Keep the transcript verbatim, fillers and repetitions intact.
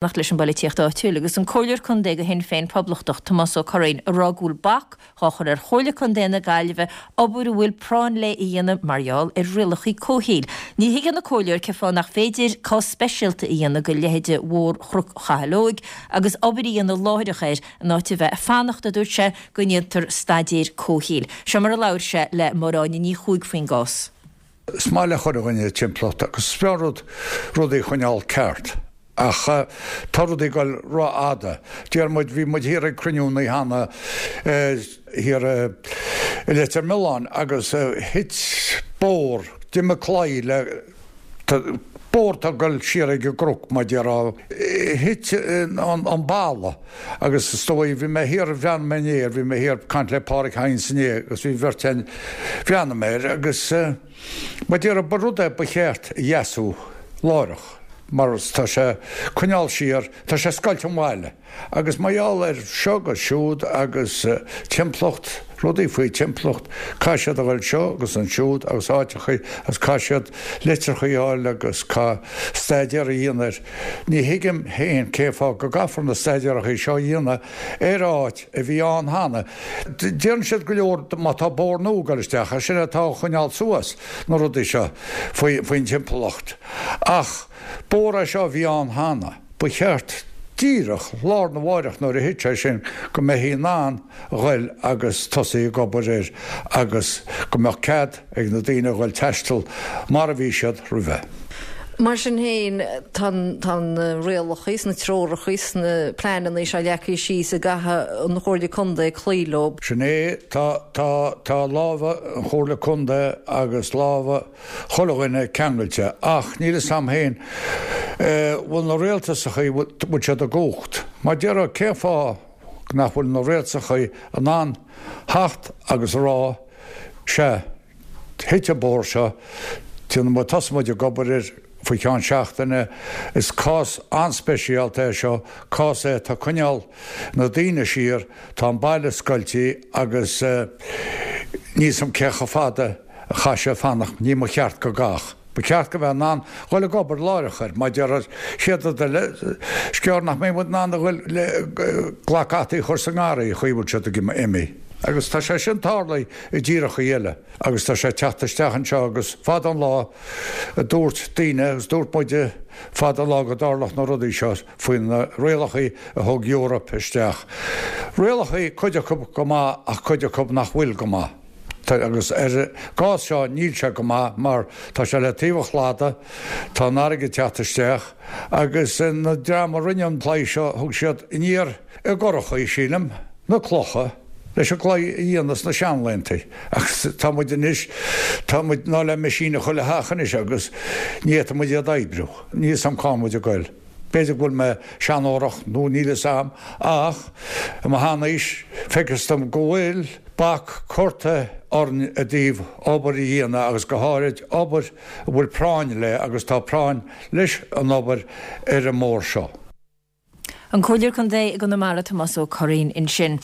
Fanacht leis an bpolaitíocht áitiúil agus an Comhairleoir Contae do Shinn Féin Poblachtach, Tomás Ó Curraoin, ag rá go bhfuil bac dhá chur ar Chomhairle Contae na Gaillimhe obair a bhfuil práinn léi a dhéanamh mar gheall ar rialacha comhshaoil. Ní thuigeann an Comhairleoir cén fáth nach féidir cás speisialta a dhéanamh de leithéide Bhóthar Chnoc Chathail Óig agus obair a dhéanamh láithreach air in áit a bheith ag fanacht, a dúirt sé, go ndéantar staidéar comhshaoil. Seo mar a labhair sé le Máire Áine Ní Chuaig faoin gcás. Is maith le chuile dhuine timpeallacht agus is breá rud rudaí a choinneáil ceart. Ach tá rudaí ag dul rófhada. Deir muid, bhí muid thiar ag cruinniú an oíche cheana thiar i Leitir Mealláin agus thit bóthar, d'imigh claí le, bóthar atá ag dul siar ag an gcnoc mar déarfá, thit an balla agus is dóigh, bhí mé thiar, bhreathnaigh mé inné air, bhí mé thiar ag caint le Pádraig Hynes inné agus bhí bheirt againn, bhreathnaigh mé air agus mar déarfá, ba rud é ba cheart a dheasú láithreach. Mar tá sé coinneáil siar, tá sé scoilt an bhaile. Agus mar gheall air seo agus siúd agus timpeallacht, rudaí faoi timpeallacht, caithfidh siad a dhul seo agus ansiúd agus áiteachaí agus caithfidh siad litreachaí a fháil agus caithfidh staidéar a dhéanamh air. Ní thuigim féin cén fáth go gcaithfear na staidéarachaí seo a dhéanamh ar áit a bhí ann cheana. Deireann siad go leor má tá bóthar nua ag dul isteach, sin atá á choinneáil suas na rudaí seo faoin timpeallacht. Ach. Bóthar é seo a bhí ann cheana. Ba cheart díreach lá arna mháireach nuair a thit sé sin go mbeifí in ann a ghoil agus tosaí ag obair air agus go mbeadh cead ag na daoine a ghoil taisteal mar a bhí siad roimhe. Mar sin féin, tá na rialacha is na treoracha is na pleananna seo leagtha síos a gcaithfidh an Chomhairle Contae cloí leo. Sin é, tá, tá, tá lámha an Chomhairle Contae agus lámha chuile dhuine ceangailte, ach níl fhios a'm féin bhfuil na rialtasachaí, bhfuil siad i gcumhacht. Mar déarfá, cén fáth nach bhfuil na rialtasachaí in ann theacht agus a rá, sea, thit an bóthar seo, déanfaidh muid, tosóidh muid ag obair air faoi cheann seachtaine, is cás an-speisialta é seo, cás é atá ag coinneáil na daoine siar, tá an baile scoiltí agus níl fhios a'm cé chomh fada a chaithfidh sé fanacht, ní mba cheart go gcaithfeadh. Ba cheart go mbeadh in ann dhul ag obair láithreach air, mar déarfá chéad rud eile, is gearr nach mbeidh muid in ann a dhul le glac fhataí a chur sa ngarraí, chaoi a bhfuil siad ag imeacht. Agus tá sé sin tarlaithe i dtíreachaí eile agus tá sé ag teacht isteach anseo agus fada an lá a dúirt daoine agus dúirt muide fada an lá go dtarlódh na rudaí seo faoi na rialachaí a thug Europe isteach. Rialachaí, cuid acu go maith ach cuid acu nach bhfuil go maith. Agus ar an gcás seo níl sé go maith mar tá sé le taobh an chladaigh, tá an fharraige ag teacht isteach agus na dream a rinne an claí seo thug siad aniar i gcurachaí, sílim, na clocha leis an gclaí a dhéanamh sna seanlaethanta agus tá muid anois, tá muid ná le meaisín i chuile theach anois agus ní fhéadfaidh muid iad a oibriú. Níl 'fhios a'm cá muid ag goil. B'fhéidir go bhfuil mé seanórach nó níl 'fhios a'm ach i mo sheanaois feictear dom go bhfuil bac curtha orainn i dtaobh obair a dhéanamh agus go háirid obair a bhfuil práinn léi agus tá práinn leis an obair ar an mbóthar seo. An Comhairleoir Contae i gConamara Tomás Ó Curraoin ansin.